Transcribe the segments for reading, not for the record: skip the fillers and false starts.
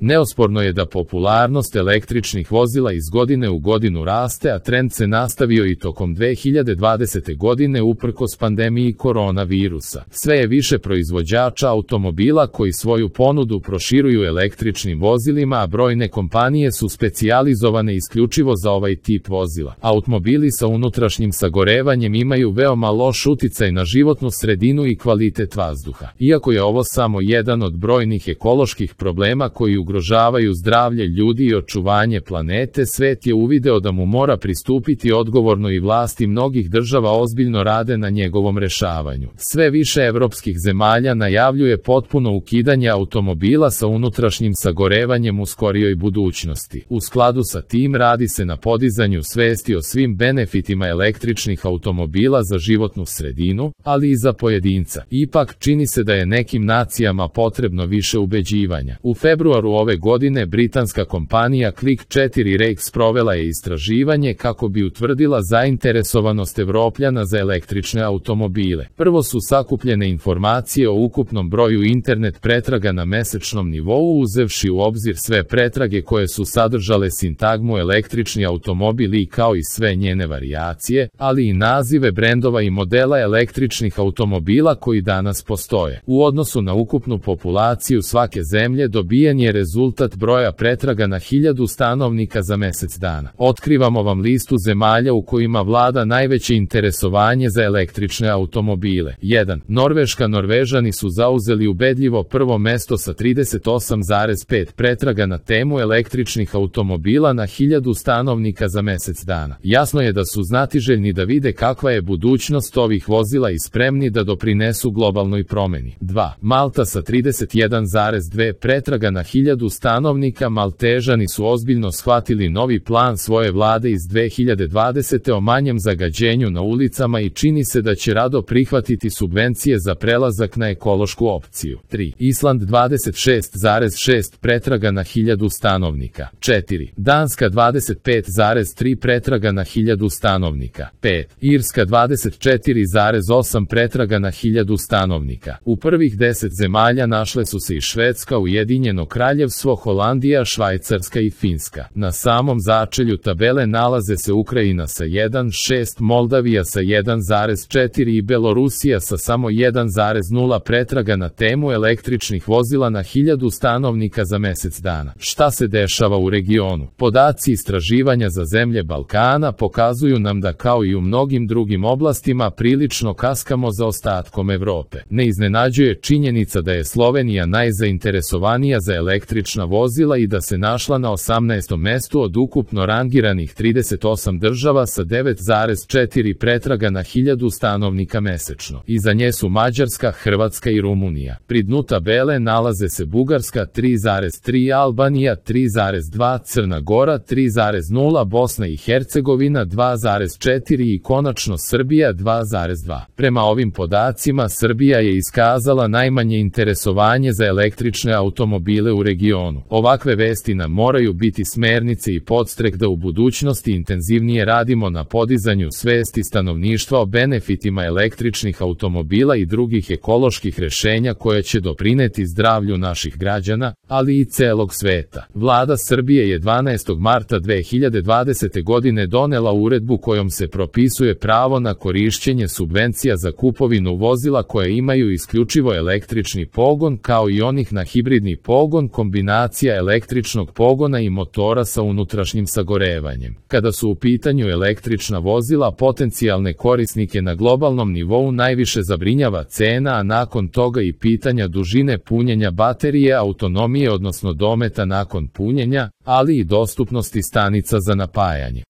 Neosporno je da popularnost električnih vozila iz godine u godinu raste, a trend se nastavio i tokom 2020. godine uprkos pandemiji koronavirusa. Sve je više proizvođača automobila koji svoju ponudu proširuju električnim vozilima, a brojne kompanije su specijalizovane isključivo za ovaj tip vozila. Automobili sa unutrašnjim sagorevanjem imaju veoma loš uticaj na životnu sredinu i kvalitet vazduha. Iako je ovo samo jedan od brojnih ekoloških problema koji ugrožavaju zdravlje ljudi i očuvanje planete, svet je uvideo da mu mora pristupiti odgovorno i vlasti mnogih država ozbiljno rade na njegovom rešavanju. Sve više evropskih zemalja najavljuje potpuno ukidanje automobila sa unutrašnjim sagorevanjem u skorijoj budućnosti. U skladu sa tim radi se na podizanju svesti o svim benefitima električnih automobila za životnu sredinu, ali i za pojedinca. Ipak, čini se da je nekim nacijama potrebno više ubeđivanja. U februaru ove godine britanska kompanija Click4 Rex sprovela je istraživanje kako bi utvrdila zainteresovanost Evropljana za električne automobile. Prvo su sakupljene informacije o ukupnom broju internet pretraga na mesečnom nivou, uzevši u obzir sve pretrage koje su sadržale sintagmu električni automobil i kao i sve njene varijacije, ali i nazive brendova i modela električnih automobila koji danas postoje. U odnosu na ukupnu populaciju svake zemlje dobijen je rezultat broja pretraga na 1000 stanovnika za mesec dana. Otkrivamo vam listu zemalja u kojima vlada najveće interesovanje za električne automobile. 1. Norveška. Norvežani su zauzeli ubedljivo prvo mesto sa 38,5 pretraga na temu električnih automobila na 1000 stanovnika za mesec dana. Jasno je da su znatiželjni da vide kakva je budućnost ovih vozila i spremni da doprinesu globalnoj promeni. 2. Malta sa 31,2 pretraga na 1000 stanovnika. Maltežani su ozbiljno shvatili novi plan svoje vlade iz 2020. o manjem zagađenju na ulicama i čini se da će rado prihvatiti subvencije za prelazak na ekološku opciju. 3. Island 26,6 pretraga na 1000 stanovnika. 4. Danska 25,3 pretraga na 1000 stanovnika. 5. Irska 24,8 pretraga na 1000 stanovnika. U prvih 10 zemalja našle su se i Švedska, Ujedinjeno Kraljevstvo, Holandija, Švajcarska i Finska. Na samom začelju tabele nalaze se Ukrajina sa 1,6, Moldavija sa 1,4 i Belorusija sa samo 1,0 pretraga na temu električnih vozila na 1000 stanovnika za mesec dana. Šta se dešava u regionu? Podaci istraživanja za zemlje Balkana pokazuju nam da kao i u mnogim drugim oblastima prilično kaskamo za ostatkom Evrope. Ne iznenađuje činjenica da je Slovenija najzainteresovanija za električna vozila i da se našla na 18. mestu od ukupno rangiranih 38 država sa 9,4 pretraga na 1000 stanovnika mesečno. Iza nje su Mađarska, Hrvatska i Rumunija. Pri dnu tabele nalaze se Bugarska 3,3, Albanija 3,2, Crna Gora 3,0, Bosna i Hercegovina 2,4 i konačno Srbija 2,2. Prema ovim podacima Srbija je iskazala najmanje interesovanje za električne automobile u regionu. Ovakve vesti nam moraju biti smernice i podstrek da u budućnosti intenzivnije radimo na podizanju svesti stanovništva o benefitima električnih automobila i drugih ekoloških rešenja koja će doprineti zdravlju naših građana, ali i celog sveta. Vlada Srbije je 12. marta 2020. godine donela uredbu kojom se propisuje pravo na korišćenje subvencija za kupovinu vozila koje imaju isključivo električni pogon kao i onih na hibridni pogon, kombinacija električnog pogona i motora sa unutrašnjim sagorevanjem. Kada su u pitanju električna vozila, potencijalne korisnike na globalnom nivou najviše zabrinjava cena, a nakon toga i pitanja dužine punjenja baterije, autonomije odnosno dometa nakon punjenja, ali i dostupnosti stanica za napajanje.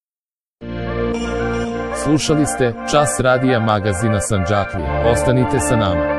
Slušali ste Čas radija magazina Sandžaklija. Ostanite sa nama.